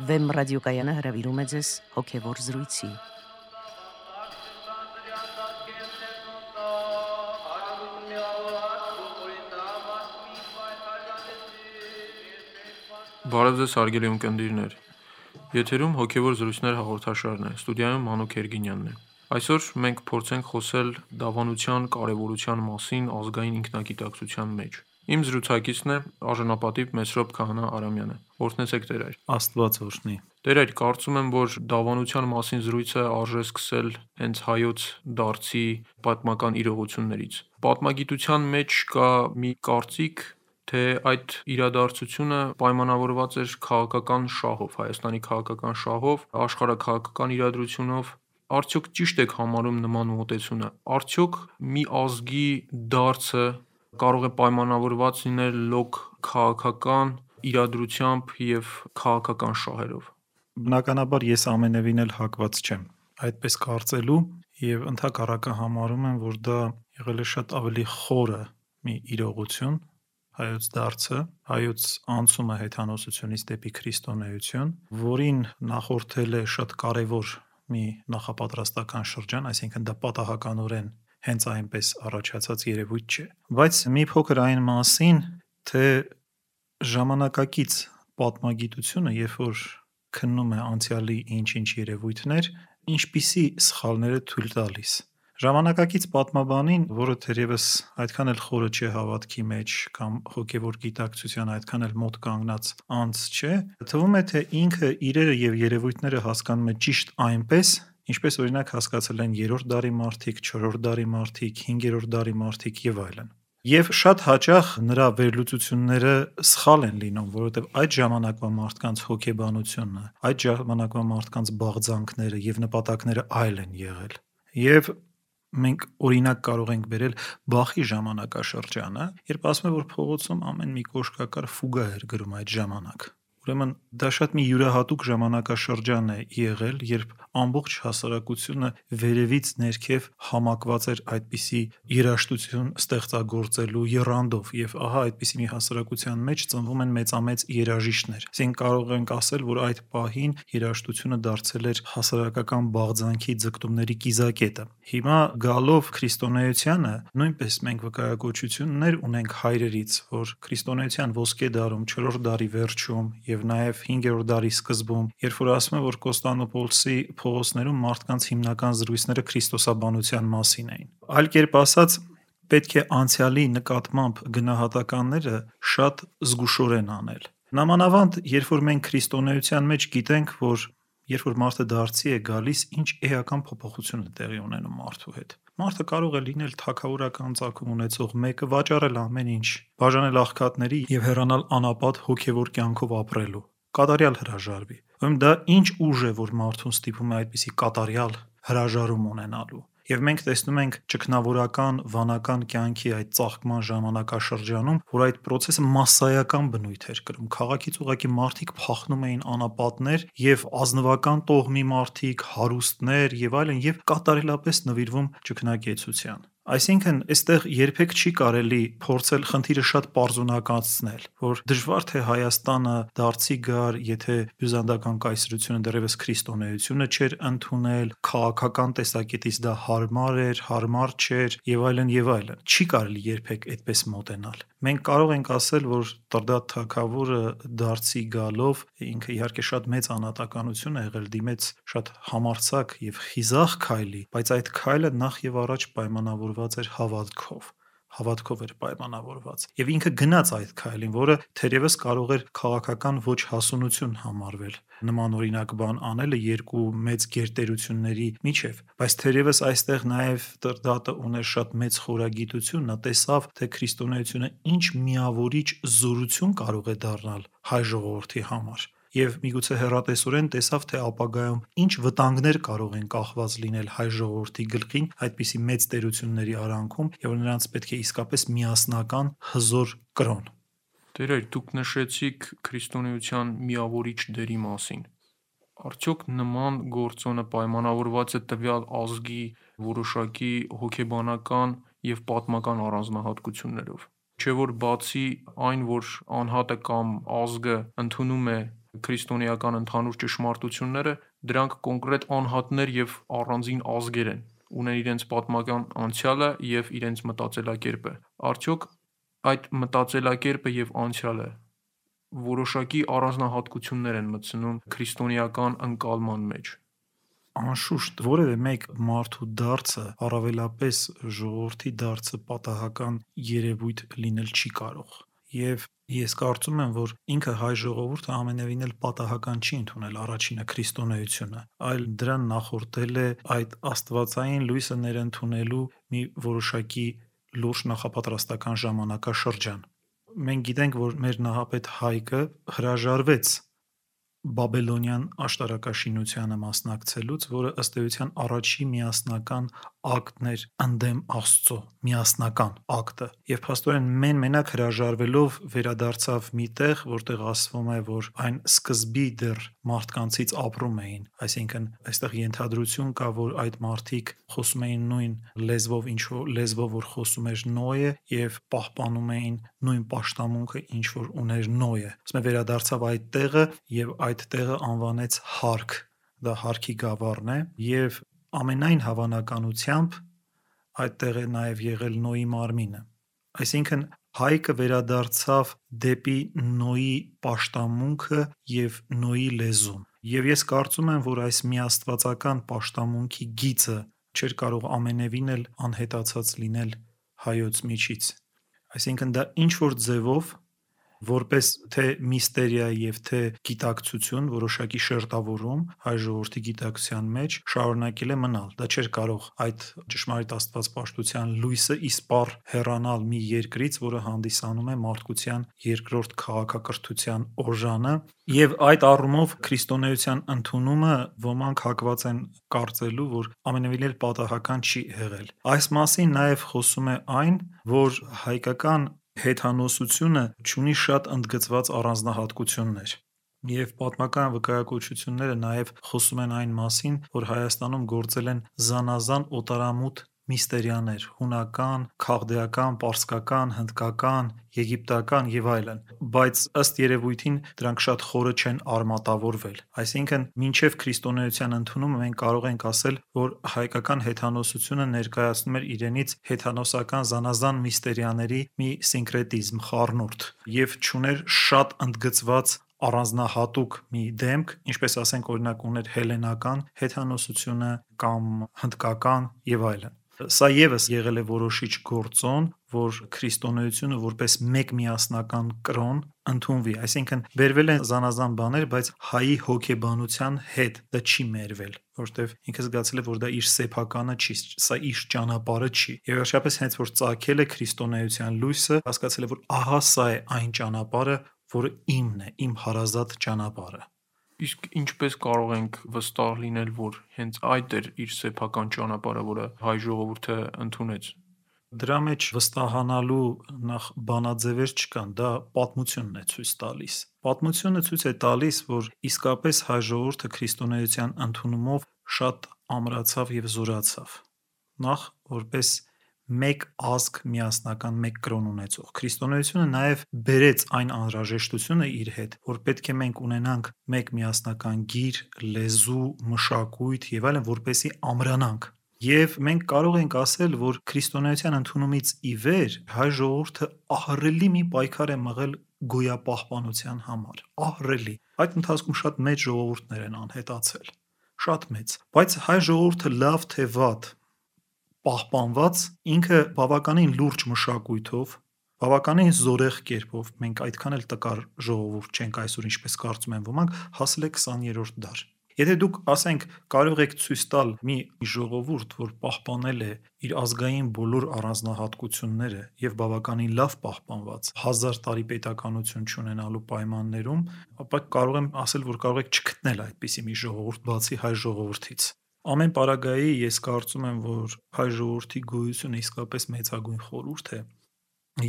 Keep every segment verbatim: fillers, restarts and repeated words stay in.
Վեմ ռադիոկայանը հրավիրում է ձեզ հոգևոր զրույցի։ Բարև ձեզ հարգելի ունկնդիրներ, եթերում հոգևոր զրույցներ հաղորդաշարն է, ստուդիայում Մանուկ Երգինյանն է։ Այսօր մենք փորձենք խոսել դավանության կարևորության մասին ազգային ինքնագիտակցության մեջ։ Իմ զրուցակիցն է արժանապատիվ Մեսրոպ Քահանա Արամյանը։ Օրհնեցեք Տեր այր։ Աստված օրհնի։ Տեր այր, կարծում եմ, որ դավանության մասին զրույցը արժե սկսել հենց հայոց դարձի պատմական իրողություններից։ Պատմագիտության մեջ կա մի կարծիք, թե այդ իրադարձությունը պայմանավորված էր քաղաքական շահով, Հայաստանի քաղաքական շահով, աշխարհաքաղաքական իրադրությունով։ Արդյոք ճիշտ եք համարում նման մոտեցումը։ Արդյոք մի ազգի դարձը կարող է պայմանավորված լինել լոկ քաղաքական իրադրությամբ և քաղաքական շահերով։ Բնականաբար ես ամենևին էլ հակված չեմ այդպես կարծելու և ընդհակառակը համարում եմ, որ դա եղել է շատ ավելի խորը մի իրողություն, հայոց դարձը, հայոց անցումը հեթանոսությունից դեպի քրիստոնեություն, որին նախորդել է շատ կարևոր մի նախապատրաստական շրջան, այսինքն դա պատահականորեն հենց այնպես առաջացած երևույթ չէ։ Բայց մի փոքր այն մասին, թե ժամանակակից պատմագիտությունը, երբ որ քննում է անցյալի ինչ-ինչ երևույթներ, ինչպիսի սխալներ է թույլ տալիս։ Ժամանակակից պատմաբանին, որը թերևս այդքան էլ խորը չէ հավատքի մեջ կամ հոգևոր գիտակցության այդքան էլ մոտ կանգնած անձ չէ, թվում է, թե ինքը իրերը և երևույթները հասկանում է ճիշտ այնպես, ինչպես օրինակ հասկացել են երրորդ դարի մարդիկ, չորրորդ դարի մարդիկ, հինգերորդ դարի մարդիկ և այլն։ Եվ շատ հաճախ նրա վերլուծությունները սխալ են լինում, որովհետև այդ ժամանակվա մարդկանց հոգեբանությունը, այդ ժամանակվա մարդկանց բաղձանքները և նպատակները այլ են եղել։ Եվ մենք օրինակ կարող ենք բերել Բախի ժամանակաշրջանը, երբ ասում է, որ փողոցում ամեն մի կոշկակար ֆուգա էր գրում այդ ժամանակ։ Ուրեմն դա շատ մի յուրահատուկ ժամանակաշրջան է եղել, երբ ամբողջ հասարակությունը վերևից ներքև համակված էր այդպիսի երաժշտություն ստեղծագործելու եռանդով, և ահա այդպիսի մի հասարակության մեջ ծնվում են մեծամեծ երաժիշտներ։ Այսինքն կարող ենք ասել, որ այդ պահին երաժշտությունը դարձել էր հասարակական բաղձանքի ձգտումների կիզակետը։ Հիմա գալով քրիստոնեությանը, նույնպես մենք վկայակոչություններ ունենք հայրերից, որ քրիստոնեության ոսկե դարում, չորրորդ դարի վերջում և նաև հինգերորդ դարի սկզբում, երբ որ ասում է, որ Կոստանդնուպոլսի փողոցներում մարդկանց հիմնական զրույցները քրիստոսաբանության մասին էին։ Այլ կերպ ասած, պետք է անցյալի նկատմամբ գնահատականները շատ զգուշորեն անել։ Նամանավանդ, երբ որ մենք քրիստոնեության մեջ գիտենք, որ երբ որ մարդը դարձի է գալիս, ինչ էական փոփոխություն է տեղի ունենում մարդու հետ։ Մարդը կարող է լինել թագավորական ծագում ունեցող մեկը, վաճառել ամեն ինչ, բաժանել աղքատների և հեռանալ անապատ հոգևոր կյանքով ապրելու, կատարյալ հրաժարվի։ Ուրեմն դա ինչ ուժ է, որ մարդուն ստիպում է այդպիսի կատարյալ հրաժարում ունենալու։ Եվ մենք տեսնում ենք ճգնավորական վանական կյանքի այդ ծաղկման ժամանակաշրջանում, որ այդ պրոցեսը մասսայական բնույթ էր կրում։ Քաղաքից ուղղակի մարդիկ փախնում էին անապատներ և ազնվական տոհմի մարդիկ, հարուստներ և այլն, և կատարելապես նվիրվում ճգնակեցության։ Այսինքն, այստեղ երբեք չի կարելի փորձել խնդիրը շատ պարզունակացնել, որ դժվար թե Հայաստանը դարձի գար, եթե բյուզանդական կայսրությունը դեռևս քրիստոնեությունը չէր ընդունել, քաղաքական տեսակետից դա հարմար էր, հարմար չէր և այլն, և այլն։ Չի կարելի երբեք այդպես մոտենալ։ Մենք կարող ենք ասել, որ Տրդատ թագավորը դարձի գալով, ինքը իհարկե շատ մեծ անհատականություն է եղել, դիմեց շատ համարձակ և խիզախ քայլի, բայց այդ քայլը նախ և առաջ պայմանավորված էր հավատքով։ Հավատքով էր պայմանավորված։ Եվ ինքը գնաց այդ քայլին, որը թերևս կարող էր քաղաքական ոչ հասունություն համարվել նմանօրինակ բան անելը երկու մեծ գերտերությունների միջև, բայց թերևս այստեղ նաև Տրդատը ուներ շատ մեծ խորագիտություն, նա տեսավ, թե քրիստոնեությունը ինչ միավորիչ զորություն կարող է դառնալ հայ ժողովրդի համար, և միգուցե հեռատեսորեն տեսավ, թե ապագայում ինչ վտանգներ կարող են կախված լինել հայ ժողովրդի գլխին այդպիսի մեծ տերությունների արանքում, և նրանց պետք է իսկապես միասնական հզոր կրոն։ Տեր այր, դուք նշեցիք քրիստոնեության միավորիչ դերի մասին։ Արդյոք նման գործոնը պայմանավորված է տվյալ ազգի որոշակի հոգեբանական և պատմական առանձնահատկություններով։ Չէ՞ որ բացի այն, որ անհատը կամ ազգը ընդունում է քրիստոնեական ընդհանուր ճշմարտությունները, դրանք կոնկրետ անհատներ եւ առանձին ազգեր են, ունեն իրենց պատմական անցյալը եւ իրենց մտածելակերպը։ Արդյոք այդ մտածելակերպը եւ անցյալը որոշակի առանձնահատկություններ են մտցնում քրիստոնեական ընկալման մեջ։ Անշուշտ որևէ մեկ մարդու դարձը, առավելապես ժողովրդի դարձը պատահական երևույթ լինել չի կարող։ Եվ ես կարծում եմ, որ ինքը հայ ժողովուրդը ամենևին էլ պատահական չի ընդունել առաջինը քրիստոնեությունը, այլ դրան նախորդել է այդ աստվածային լույսը ներընդունելու մի որոշակի լուրջ նախապատրաստական ժամանակաշրջան։ Մենք գիտենք, որ մեր նահապետ Հայկը հրաժարվեց Բաբելոնյան աշտարակաշինությանը մասնակցելուց, որը ըստ էության առաջի միասնական ակտն էր ընդդեմ Աստծո, միասնական ակտը։ Եվ փաստորեն մեն-մենակ հրաժարվելով վերադարձավ մի տեղ, որտեղ ասվում է, որ այն սկզբի դեռ մարդկանցից ապրում էին, այսինքն այստեղ ենթադրություն կա, որ այդ մարդիկ խոսում էին նույն լեզվով, ինչ որ լեզվով որ խոսում էր Նոյը, եւ պահպանում էին նույն պաշտամունքը, ինչ որ ուներ Նոյը։ Ասում է վերադարձավ այդ տեղը եւ այդ տեղը անվանեց Հարք, դա Հարքի գավառն է, եւ ամենայն հավանականությամբ այդտեղ է նաեւ եղել Նոյի մարմինը։ Այսինքն Հայկը վերադարձավ դեպի Նոյի պաշտամունքը եւ Նոյի լեզուն։ Եվ ես կարծում եմ, որ այս միաստվածական պաշտամունքի գիծը չէր կարող ամենևին էլ անհետացած լինել հայոց միջից։ Այսինքն դա ինչ որ ձևով որպես թե միստերիա եւ թե գիտակցություն, որոշակի շերտավորում հայ ժողովրդի գիտակցության մեջ շարունակել է մնալ։ Դա չէր կարող այդ ճշմարիտ աստվածպաշտության լույսը իսպառ հեռանալ մի երկրից, որը հանդիսանում է մարդկության երկրորդ քաղաքակրթության օժանը, եւ այդ առումով քրիստոնեության ընդունումը ոմանք հակված են կարծելու, որ ամենևին էլ պատահական չի եղել։ Այս մասին նաեւ խոսում է այն, որ հայկական հեթանոսությունը ունի շատ ընդգծված առանձնահատկություններ։ Եվ պատմական վկայակոչությունները նաև խոսում են այն մասին, որ Հայաստանում գործել են զանազան օտարամուտ միստերիաներ՝ հունական, քաղդեական, պարսկական, հնդկական, եգիպտական եւ այլն, բայց ըստ երևույթին դրանք շատ խորը չեն արմատավորվել։ Այսինքն, մինչև քրիստոնեության ընդունումը մենք կարող ենք ասել, որ հայկական հեթանոսությունը ներկայացնում էր իրենից հեթանոսական զանազան միստերիաների մի սինկրետիզմ, խառնուրդ, եւ չուներ շատ ընդգծված առանձնահատուկ մի դեմք, ինչպես ասենք օրինակ ուներ հելենական հեթանոսությունը կամ հնդկական եւ այլն։ Սա եւս եղել է որոշիչ գործոն, որ քրիստոնեությունը որպես մեկ միասնական կրոն ընդունվի, այսինքն բերվել են զանազան բաներ, բայց հայի հոգեբանության հետ դա չի մերվել, որովհետեւ ինքը զգացել է, որ դա իր սեփականը չի, սա իր ճանապարհը չի։ Եվ վերջապես հենց որ ծագել է քրիստոնեության լույսը, հասկացել է, որ ահա սա է այն ճանապարհը, որը իմն է, իմ հարազատ ճանապարհը։ Իսկ ինչպես կարող ենք վստահ լինել, որ հենց այդ էր իր սեփական ճանապարհը, որը հայ ժողովուրդը ընդունեց։ Դրա մեջ վստահանալու նախ բանաձևեր չկան, դա պատմությունն է ցույց տալիս։ Պատմությունը ցույց է տալիս, որ իսկապես հայ ժողովուրդը քրիստոնեության ընդունումով շատ ամրացավ եւ զորացավ։ Նախ որպես մեկ ազգ միասնական մեկ կրոն ունեցող քրիստոնեությունը նաև բերեց այն անհրաժեշտությունը իր հետ, որ պետք է մենք ունենանք մեկ միասնական գիր, լեզու, մշակույթ եւ այլն, որպեսզի ամրանանք։ Եվ մենք կարող ենք ասել, որ քրիստոնեության ընդունումից ի վեր հայ ժողովուրդը ահռելի մի պայքար է մղել գոյապահպանության համար, ահռելի։ Այդ ընթացքում շատ մեծ ժողովուրդներ են անհետացել, շատ մեծ, բայց հայ ժողովուրդը լավ թե վատ պահպանված, ինքը բավականին լուրջ մշակույթով, բավականին զորեղ կերպով, մենք այդքան էլ տկար ժողովուրդ չենք այսօր, ինչպես կարծում են ոմանք, հասել է քսաներորդ դար։ Եթե դուք ասենք կարող եք ցույց տալ մի ժողովուրդ, որ պահպանել է իր ազգային բոլոր առանձնահատկությունները եւ բավականին լավ պահպանված, հազար տարի պետականություն չունենալու պայմաններում, ապա կարող եմ ասել, որ կարող եք չգտնել այդպիսի մի ժողովուրդ բացի հայ ժողովրդից։ Ամեն պարագայի ես կարծում եմ, որ հայ ժողովրդի գոյությունը իսկապես մեծագույն խորհուրդ է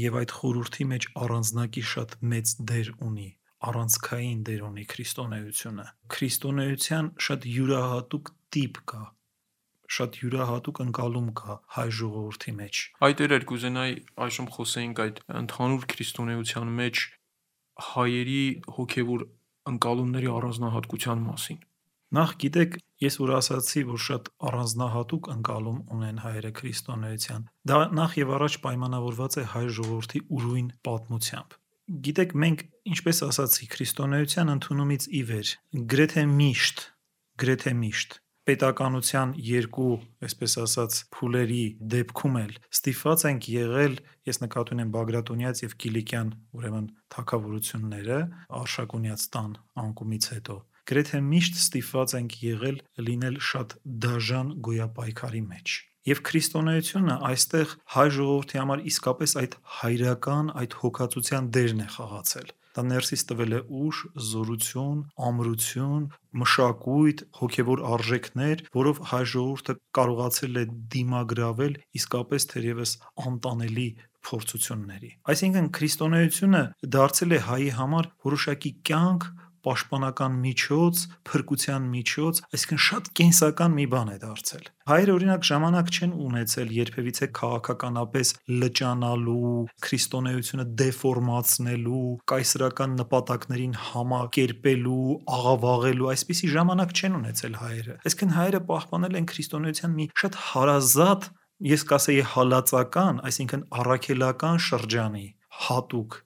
եւ այդ խորհրդի մեջ առանձնակի շատ մեծ դեր ունի, առանցքային դեր ունի քրիստոնեությունը։ Քրիստոնեության շատ յուրահատուկ տիպ կա, շատ յուրահատուկ ընկալում կա հայ ժողովրդի մեջ։ Այդ էր կուզենայի այժմ խոսեինք այդ ընդհանուր քրիստոնեության մեջ հայերի հոգևոր ընկալումների առանձնահատկության մասին։ Նախ գիտեք, ես որ ասացի, որ շատ առանձնահատուկ ընկալում ունեն հայերը քրիստոնեության, դա նախ եւ առաջ պայմանավորված է հայ ժողովրդի ուրույն պատմությամբ։ Գիտեք, մենք, ինչպես ասացի, քրիստոնեության ընդունումից ի վեր գրեթե միշտ, գրեթե միշտ պետականության երկու, այսպես ասած, փուլերի դեպքում էլ ստիպված ենք եղել, ես նկատի ունեմ Բագրատունյաց եւ Կիլիկյան, ուրեմն թագավորությունները Արշակունյաց տան անկումից հետո, գրեթե միշտ ստիպված ենք եղել լինել շատ դաժան գոյապայքարի մեջ։ Եվ քրիստոնեությունը այստեղ հայ ժողովրդի համար իսկապես այդ հայրական, այդ հոգացության դերն է խաղացել։ Դա ներսից տվել է ուժ, զորություն, ամրություն, մշակույթ, հոգևոր արժեքներ, որով հայ ժողովուրդը կարողացել է դիմագրավել իսկապես թերևս անտանելի փորձությունների։ Այսինքն քրիստոնեությունը դարձել է հայի համար որոշակի կյանք, պաշտպանական միջոց, փրկության միջոց, այսինքն շատ կենսական մի բան է դարձել։ Հայերը օրինակ ժամանակ չեն ունեցել երբևիցե քաղաքականապես լճանալու, քրիստոնեությունը դեֆորմացնելու, կայսրական նպատակներին համակերպելու, աղավաղելու, այսպիսի ժամանակ չեն ունեցել հայերը։ Այսինքն հայերը պահպանել են քրիստոնեության մի շատ հարազատ, ես կասեի հալածական, այսինքն առաքելական շրջանի հատուկ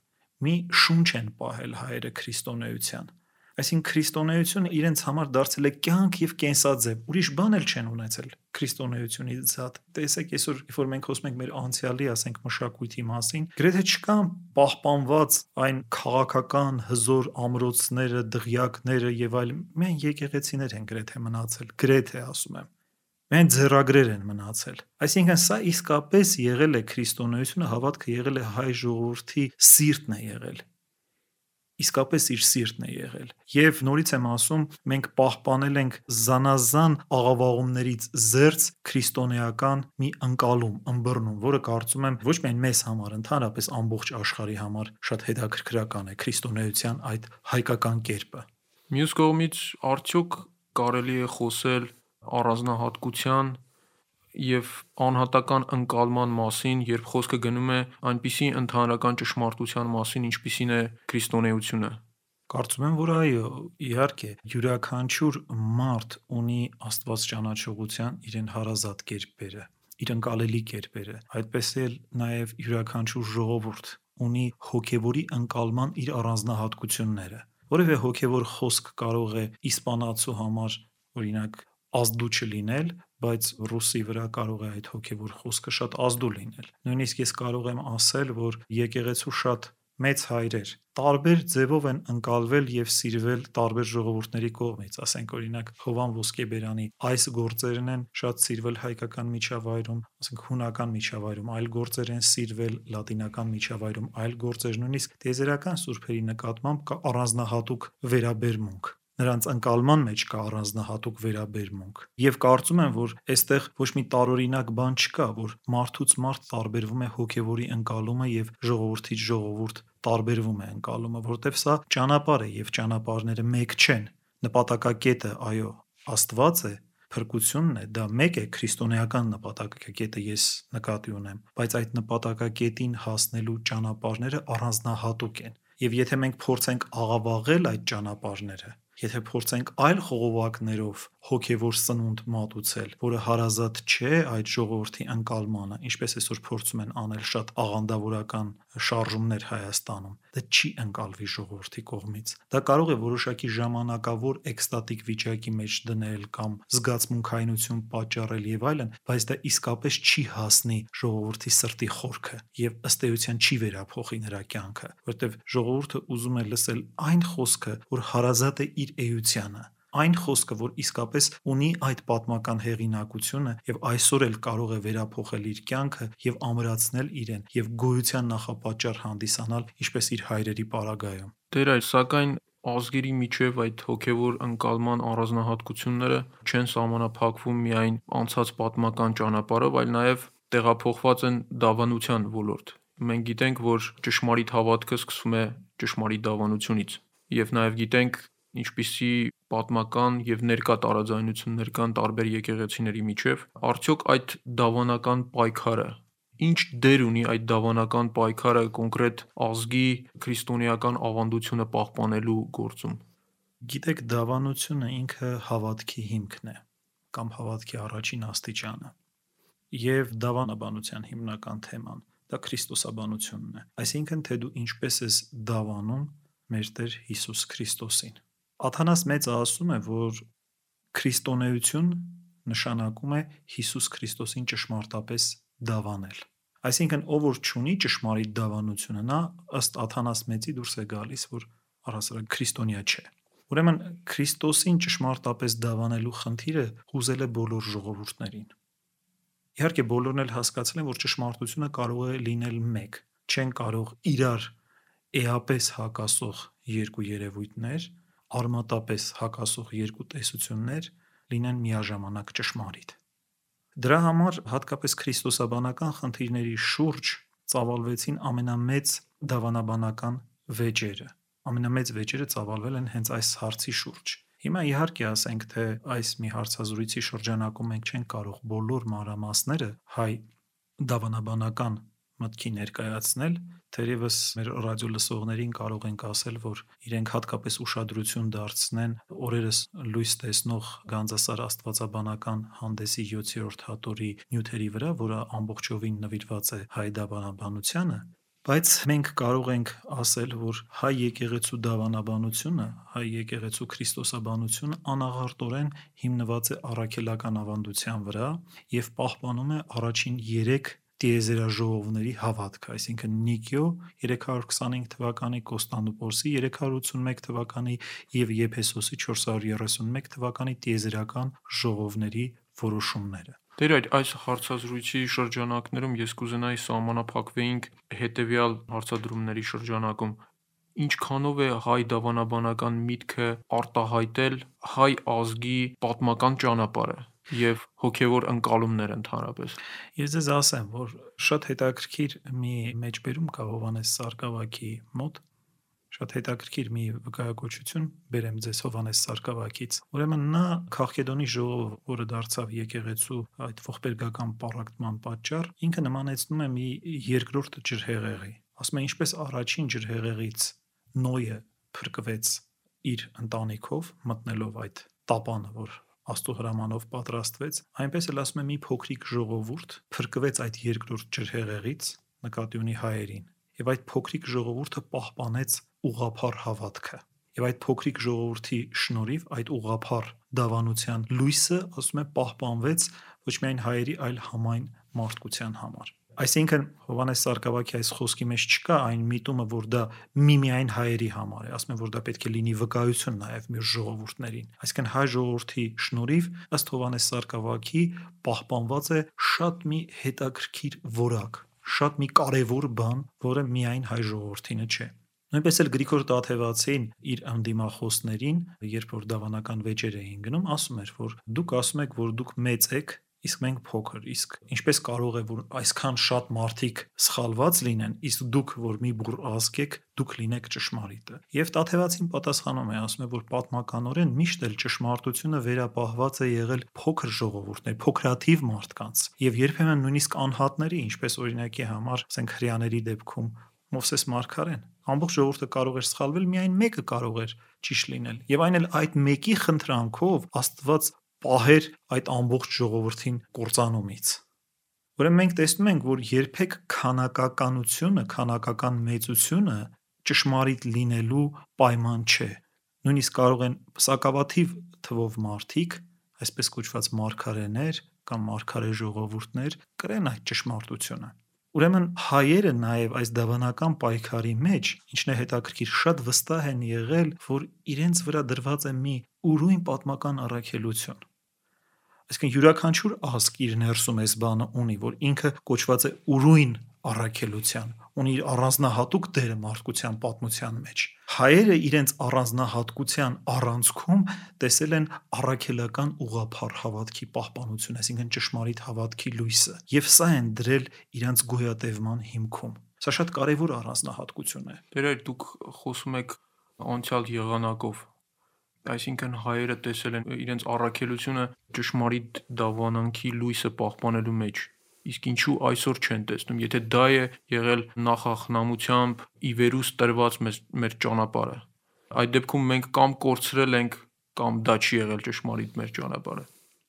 մի շունչ են պահել հայերը քրիստոնեության։ Այսինքն քրիստոնեությունը իրենց համար դարձել է կյանք եւ կենսաձև, ուրիշ բան էլ չեն ունեցել քրիստոնեությունից զատ։ Տեսեք, այսօր, երբ որ մենք խոսում ենք մեր անցյալի, ասենք մշակույթի մասին, գրեթե չկան պահպանված այն քաղաքական հզոր ամրոցները, դղյակները եւ այլն, միայն եկեղեցիներ են գրեթե մնացել, գրեթե ասում եմ։ Միայն ձեռագրեր են մնացել։ Այսինքն սա իսկապես եղել է քրիստոնեությունը, հավատքը եղել է հայ ժողովրդի սիրտն է եղել։ Իսկապես իր սիրտն է եղել։ Եվ նորից եմ ասում, մենք պահպանել ենք զանազան աղավաղումներից զերծ քրիստոնեական մի ընկալում, ըմբռնում, որը կարծում եմ ոչ միայն մեզ համար, ընդհանրապես ամբողջ աշխարհի համար շատ հետաքրքրական է քրիստոնեության այդ հայկական կերպը։ Մյուս կողմից արդյոք կարելի է խոսել առանձնահատկության եւ անհատական ընկալման մասին, երբ խոսքը գնում է այնպիսի ընդհանրական ճշմարտության մասին, ինչպիսին է քրիստոնեությունը։ Կարծում եմ, որ այո, իհարկե, յուրաքանչյուր մարդ ունի Աստված ճանաչողության իրեն հարազատ կերպերը, իր ընկալելի կերպերը, այդպես էլ նաև յուրաքանչյուր ժողովուրդ ունի հոգևորի ընկալման իր առանձնահատկությունները։ Որևէ հոգևոր խոսք կարող է իսպանացու համար, օրինակ, ազդու չլինել, բայց ռուսի վրա կարող է այդ հոգևոր խոսքը շատ ազդու լինել։ Նույնիսկ ես կարող եմ ասել, որ եկեղեցու շատ մեծ հայրեր տարբեր ձևով են ընկալվել եւ սիրվել տարբեր ժողովուրդների կողմից, ասենք օրինակ Հովան Ոսկեբերյանի այս գործերն են շատ սիրվել հայկական միջավայրում, ասենք հունական միջավայրում, այլ գործեր են սիրվել լատինական միջավայրում, այլ գործեր նույնիսկ տիեզերական սուրբերի նկատմամբ կա առանձնահատուկ վերաբերմունք։ Նրանց ընկալման մեջ կա առանձնահատուկ վերաբերմունք։ Եվ կարծում եմ, որ այստեղ ոչ մի տարօրինակ բան չկա, որ մարդուց մարդ տարբերվում է հոգևորի ընկալումը եւ ժողովրդից ժողովուրդ տարբերվում է ընկալումը, որտեվ սա ճանապարհ է եւ ճանապարհները մեկ չեն։ Նպատակակետը, այո, Աստված է, փրկությունն է, դա մեկ է, քրիստոնեական նպատակակետը ես նկատի ունեմ, բայց այդ նպատակակետին հասնելու ճանապարհները առանձնահատուկ են։ Եվ եթե մենք փորձենք աղավաղել այդ ճանապարհները, եթե փորձենք այլ խողովակներով հոգևոր սնունդ մատուցել, որը հարազատ չէ այդ ժողովրդի ընկալմանը, ինչպես այսօր փորձում են անել շատ աղանդավորական շարժումներ Հայաստանում, դա չի ընկալվի ժողովրդի կողմից։ Դա կարող է որոշակի ժամանակավոր էկստատիկ վիճակի մեջ դնել կամ զգացմունքայնություն պատճառել եւ այլն, բայց դա իսկապես չի հասնի ժողովրդի սրտի խորքը եւ ըստ էության չի վերափոխի նրա կյանքը, որտեւ ժողովուրդը ուզում է լսել այն խոսքը, որ հարազատ է իր էությանը, այն խոսքը, որ իսկապես ունի այդ պատմական հեղինակությունը եւ այսօր էլ կարող է վերափոխել իր կյանքը եւ ամրացնել իրեն եւ գոյության նախապաճառ հանդիսանալ, ինչպես իր հայրերի պարագայում։ Տեր այլ, սակայն ազգերի միջև այդ հոգևոր ընկալման առանձնահատկությունները չեն սահմանափակվում միայն անցած պատմական ճանապարհով, այլ նաեւ տեղափոխված են դավանության ոլորտ։ Մենք գիտենք, որ ճշմարիտ հավատքը սկսվում է ճշմարիտ դավանությունից եւ նաեւ գիտենք ինչպիսի պատմական եւ ներկա տարաձայնություններ կան տարբեր եկեղեցիների միջև, արդյոք այդ դավանական պայքարը ինչ դեր ունի այդ դավանական պայքարը կոնկրետ ազգի քրիստոնեական ավանդությունը պահպանելու գործում։ Գիտեք, դավանությունը ինքը հավատքի հիմքն է, կամ հավատքի առաջին աստիճանը։ Եվ դավանաբանության հիմնական թեման դա քրիստոսաբանությունն է։ Այսինքն, թե դու ինչպես ես դավանում մեր Տեր Հիսուս Քրիստոսին։ Աթանաս Մեծը ասում է, որ քրիստոնեություն նշանակում է Հիսուս Քրիստոսին ճշմարտապես դավանել։ Այսինքն, ով որ չունի ճշմարիտ դավանությունը, նա ըստ Աթանաս Մեծի դուրս է գալիս, որ առհասարակ քրիստոնյա չէ։ Ուրեմն Քրիստոսին ճշմարտապես դավանելու խնդիրը հուզել է բոլոր ժողովուրդներին։ Իհարկե բոլորն էլ հասկացել են, որ ճշմարտությունը կարող է լինել մեկ, չեն կարող իրար էապես հակասող երկու երևույթներ, արմատապես հակասող երկու տեսություններ լինեն միաժամանակ ճշմարիտ։ Դրա համար հատկապես քրիստոսաբանական խնդիրների շուրջ ծավալվեցին ամենամեծ դավանաբանական վեճերը։ Ամենամեծ վեճերը ծավալվել են հենց այս հարցի շուրջ։ Հիմա իհարկե ասենք, թե այս մի հարցազրույցի շրջանակում մենք չենք կարող բոլոր մանրամասները հայ դավանաբանական մտքի ներկայացնել, թերևս մեր ռադիո լսողներին կարող ենք ասել, որ իրենք հատկապես ուշադրություն դարձնեն օրերս լույս տեսնող Գանձասար աստվածաբանական հանդեսի յոթերորդ հատորի նյութերի վրա, որը ամբողջովին նվիրված է հայ դավանաբանությանը, բայց մենք կարող ենք ասել, որ հայ եկեղեցու դավանաբանությունը, հայ եկեղեցու քրիստոսաբանությունը անաղարտորեն հիմնված է առաքելական ավանդության վրա եւ պահպանում է առաջին երեք տիեզերաժողովների հավատքը, այսինքն Նիկիո երեք հարյուր քսանհինգ թվականի, Կոստանդնուպոլսի երեք հարյուր ութսունմեկ թվականի եւ Եփեսոսի չորս հարյուր երեսունմեկ թվականի տիեզերական ժողովների որոշումները։ Տեր այդ այս հարցազրույցի շրջանակներում ես կուզենայի սահմանափակվեինք հետևյալ հարցադրումների շրջանակում. ինչքանով է հայ դավանաբանական միտքը արտահայտել հայ ազգի պատմական ճանապարհը եւ հոգեվոր ընկալումներ ընդհանրապես։ Ես ձեզ ասեմ, որ շատ հետաքրքիր մի մեջբերում կա Հովհաննես Սարգսակի մոտ, շատ հետաքրքիր մի վկայակոչություն բերեմ ձեզ Հովհաննես Սարգսակից։ Ուրեմն նա Քաղքեդոնի ժողով, որը դարձավ եկեղեցու այդ ողբերգական պառակտման պատճառ, ինքը նմանեցնում է մի երկրորդ ջրհեղեղի։ Ասում է, ինչպես առաջին ջրհեղեղից Նոյը փրկվեց իր ընտանիքով, մտնելով այդ տապանը, որ Աստծո հրամանով պատրաստվեց, այնպես էլ ասում է մի փոքրիկ ժողովուրդ փրկվեց այդ երկրորդ ջրհեղեղից, նկատի ունի հայերին, եւ այդ փոքրիկ ժողովուրդը պահպանեց ուղղափառ հավատքը։ Եվ այդ փոքրիկ ժողովրդի շնորհիվ այդ ուղղափառ դավանության լույսը, ասում է, պահպանվեց ոչ միայն հայերի, այլ համայն մարդկության համար։ Այսինքն Հովհաննես Սարգսակի այս խոսքի մեջ չկա այն միտումը, որ դա միմիայն հայերի համար է, ասում են, որ դա պետք է լինի վկայություն նաև մեր ժողովուրդներին։ Այսինքն հայ ժողովրդի շնորհիվ ըստ Հովհաննես Սարգսակի պահպանված է շատ մի հետաքրքիր որակ, շատ մի կարևոր բան, որը միայն հայ ժողովրդինը չէ։ Նույնպես էլ Գրիգոր Տաթևացին իր անդիմախոսներին, երբ որ դավանական վեճեր էին գնում, ասում էր, որ դուք ասում եք, որ դուք մեծ եք, իսկ մենք փոքր, իսկ ինչպես կարող է որ այսքան շատ մարդիկ սխալված լինեն, իսկ դուք որ մի բուռ ազգ եք, դուք լինեք ճշմարիտը։ Եվ Տաթևացին պատասխանում է, ասում է, որ պատմականորեն միշտ էլ ճշմարտությունը վերապահված է եղել փոքր ժողովուրդներ, փոքրաթիվ մարդկանց, եւ երբեմն նույնիսկ անհատների, ինչպես օրինակի համար, ասենք հрьяաների դեպքում Մովսես Մարգարեն, ամբողջ ժողովուրդը կարող էր սխալվել, միայն մեկը կարող էր ճիշտ լինել։ Եվ այն էլ այդ մեկի խնդրանքով Աստված պահեր այդ ամբողջ ժողովրդին կործանումից։ Ուրեմն մենք տեսնում ենք, որ երբեք քանակականությունը, քանակական մեծությունը ճշմարիտ լինելու պայման չէ։ Նույնիսկ կարող են սակավաթիվ թվով մարդիկ, այսպես կոչված մարգարեներ կամ մարգարե ժողովուրդներ, կրեն այդ ճշմարտությունը։ Ուրեմն հայերը նաև այս դավանական պայքարի մեջ, ինչն է հետաքրքիր, շատ վստահ են եղել, որ իրենց վրա դրված է մի ուրույն պատմական առաքելություն։ Այսինքն յուրաքանչյուր ազգ իր ներսում այս բանը ունի, որ ինքը կոչված է ուրույն առաքելության, ունի իր առանձնահատուկ դերը մարդկության պատմության մեջ։ Հայերը իրենց առանձնահատկության առանցքում տեսել են առաքելական ուղղափառ հավատքի պահպանություն, այսինքն ճշմարիտ հավատքի լույսը, եւ սա են դրել իրենց գոյատևման հիմքում։ Սա շատ կարևոր առանձնահատկություն է։ Դեր այդ դուք խոսում եք անցյալ եղանակով, այսինքն հայերը տեսել են իրենց առաքելությունը ճշմարիտ դավանանքի լույսը պահպանելու մեջ, իսկ ինչու այսօր չեն տեսնում, եթե դա է եղել նախախնամությամբ ի վերուս տրված մեր, մեր ճանապարհը։ Այդ դեպքում մենք կամ կորցրել ենք, կամ դա չի եղել ճշմարիտ մեր ճանապարհը։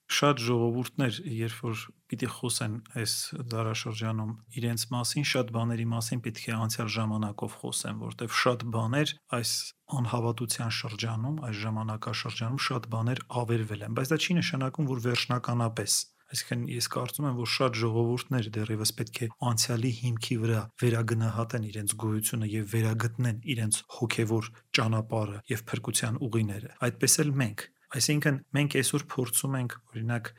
Շատ ժողովուրդներ, երբ որ պիտի խոսեն այս դարաշրջանում իրենց մասին, շատ բաների մասին պետք է անցյալ ժամանակով խոսեն, որտեղ շատ բաներ այս անհավատության շրջանում, այս ժամանակաշրջանում շատ բաներ ավերվել են, բայց դա չի նշանակում, որ վերջնականապես։ Այսինքն ես կարծում եմ, որ շատ ժողովուրդներ դեռևս պետք է անցյալի հիմքի վրա վերագնահատեն իրենց գոյությունը եւ վերագտնեն իրենց հոգեվոր ճանապարհը եւ փրկության ուղիները։ Այդպես էլ մենք, այսինքն մենք այսօր փորձում ենք, օրինակ,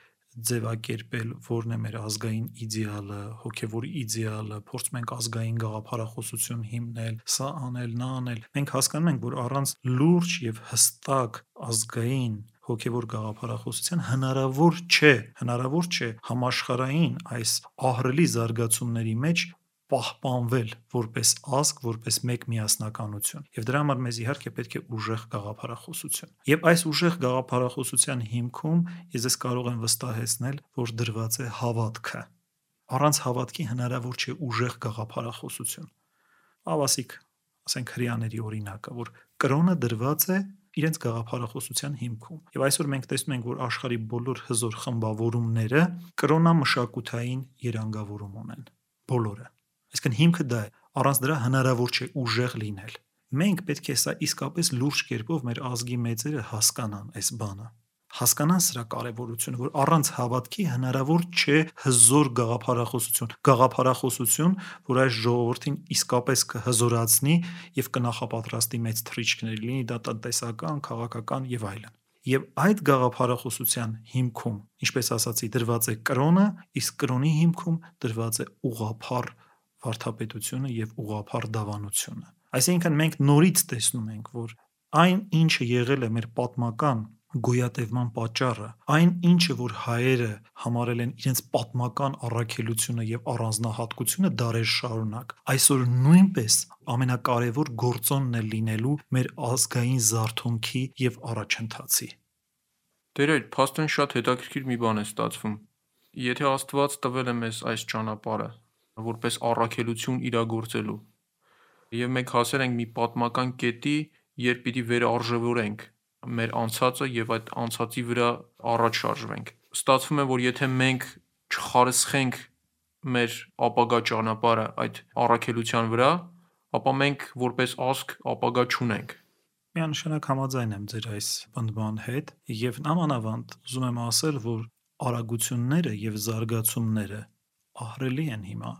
ձևակերպել որն է մեր ազգային իդեալը, հոգևոր իդեալը, փորձում ենք ազգային գաղափարախոսություն հիմնել, սա անել, նա անել։ Մենք հասկանում ենք, որ առանց լուրջ եւ հստակ ազգային հոգևոր գաղափարախոսության հնարավոր չէ, հնարավոր չէ համաշխարհային այս ահռելի զարգացումների մեջ պահպանվել որպես ազգ, որպես մեկ միասնականություն։ Եվ դրա համար մեզ իհարկե պետք է ուժեղ գաղափարախոսություն։ Եվ այս ուժեղ գաղափարախոսության հիմքում ես ես կարող եմ վստահեցնել, որ դրված է հավատքը։ Առանց հավատքի հնարավոր չէ ուժեղ գաղափարախոսություն։ Ավասիկ, ասենք հрьяաների օրինակը, որ կրոնը դրված է իրենց գաղափարախոսության հիմքում։ Եվ այսօր մենք տեսնում ենք, որ աշխարհի բոլոր հզոր խմբավորումները կրոնամշակութային երանգավորում ունեն։ Բոլորը։ Այսինքն հիմքը դա է, առանց դրա հնարավոր չէ ուժեղ լինել։ Մենք պետք է սա իսկապես լուրջ կերպով մեր ազգի մեծերը հասկանան այս բանը։ Հասկանան սրա կարևորությունը, որ առանց հավատքի հնարավոր չէ հզոր գաղափարախոսություն, գաղափարախոսություն, որ այս ժողովրդին իսկապես կհզորացնի եւ կնախապատրաստի մեծ թռիչքներ, լինի դա տնտեսական, քաղաքական եւ այլն։ Եվ այդ գաղափարախոսության հիմքում, ինչպես ասացի, դրված է կրոնը, իսկ կրոնի հիմքում դրված է ուղղափառ վարդապետությունը եւ ուղղափառ դավանությունը։ Այսինքն մենք նորից տեսնում ենք, որ այն ինչը եղել է մեր պատմական գոյատևման պատճառը, այն ինչը որ հայերը համարել են իրենց պատմական առաքելությունը եւ առանձնահատկությունը դարեր շարունակ, այսօր նույնպես ամենակարևոր գործոնն է լինելու մեր ազգային զարթոնքի եւ առաջընթացի։ Տերեր, փաստորեն շատ հետաքրքիր մի բան է ստացվում։ Եթե Աստված տվել է մեզ այս ճանապարհը որպես առաքելություն իրագործելու, եւ մենք հասել ենք մի պատմական կետի, երբ պիտի վերարժևորենք մեր անցածը եւ այդ անցածի վրա առաջ շարժվենք։ Ստացվում է, որ եթե մենք չխարսխենք մեր ապագա ճանապարհը այդ առաքելության վրա, ապա մենք որպես ազգ ապագա չունենք։ Միանշանակ համաձայն եմ ձեր այս պնդման հետ եւ նամանավանդ ուզում եմ ասել, որ արագությունները եւ զարգացումները ահռելի են հիմա։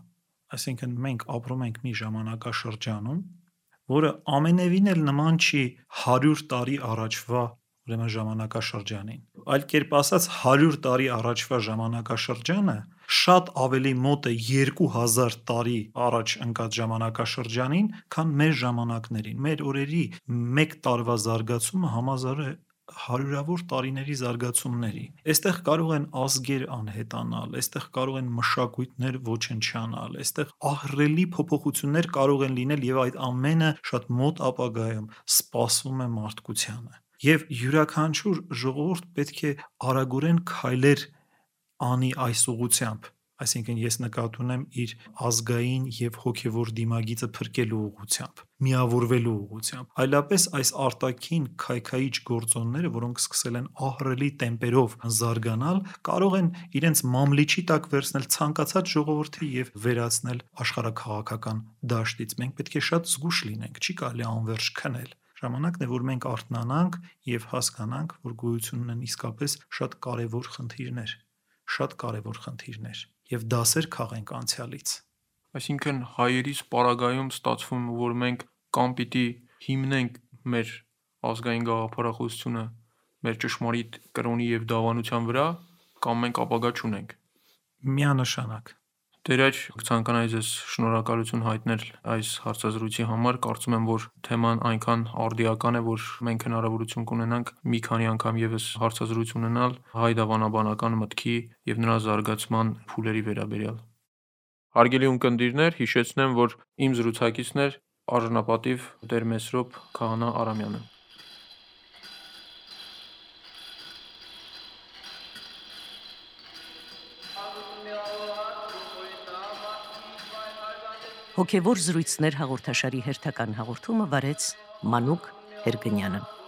Այսինքն մենք ապրում ենք մի ժամանակաշրջանում, որը ամենևին էլ նման չի հարյուր տարի առաջվա ուրեմն ժամանակաշրջանին։ Այլ կերպ ասած հարյուր տարի առաջվա ժամանակաշրջանը շատ ավելի մոտ է երկու հազար տարի առաջ ընկած ժամանակաշրջանին, քան մեր ժամանակներին։ Մեր օրերի մեկ տարվա զարգացումը համազար է հարյուրավոր տարիների զարգացումների։ Այստեղ կարող են ազգեր անհետանալ, այստեղ կարող են մշակույթներ ոչնչանալ, այստեղ ահռելի փոփոխություններ կարող են լինել եւ այդ ամենը շատ մոտ ապագայում սպասվում է մարդկությանը։ Եվ յուրաքանչյուր ժողովուրդ պետք է արագորեն քայլեր անի այս ուղղությամբ, այսինքն ես նկատի ունեմ իր ազգային եւ հոգեվոր դիմագիծը փրկելու ուղղությամբ, միավորվելու ուղղությամբ։ Այլապես այս արտաքին քայքայիչ գործոնները, որոնք սկսել են ահռելի տեմպերով զարգանալ, կարող են իրենց մամլիչի տակ վերցնել ցանկացած ժողովրդի եւ վերացնել աշխարհաքաղաքական դաշտից։ Մենք պետք է շատ զգուշ լինենք, չի կարելի անverջ քնել։ Ժամանակն է, որ մենք արթնանանք եւ հասկանանք, որ գոյություն ունեն իսկապես շատ կարեւոր խնդիրներ, շատ կարեւոր խնդիրներ եւ դասեր քաղենք անցյալից։ Այսինքն հայերիս պարագայում ստացվում, որ մենք կամ պիտի հիմնենք մեր ազգային գաղափարախոսությունը մեր ճշմարիտ կրոնի եւ դավանության վրա, կամ մենք ապագա չունենք։ Միանշանակ։ Տերեր, ցանկանայի ձեզ շնորհակալություն հայտնել այս հարցազրույցի համար։ Կարծում եմ, որ թեման այնքան արդիական է, որ մենք հնարավորություն կունենանք մի քանի անգամ եւս հարցազրույց ունենալ հայ դավանաբանական մտքի եւ նրա զարգացման փուլերի վերաբերյալ։ Հարգելի ունկնդիրներ, հիշեցնեմ, որ իմ զրուցակիցն էր արժանապատիվ Տեր Մեսրոպ Քահանա Արամյանը։ Հոգևոր զրույցներ հաղորդաշարի հերթական հաղորդումը վարեց Մանուկ Հերգնյանը։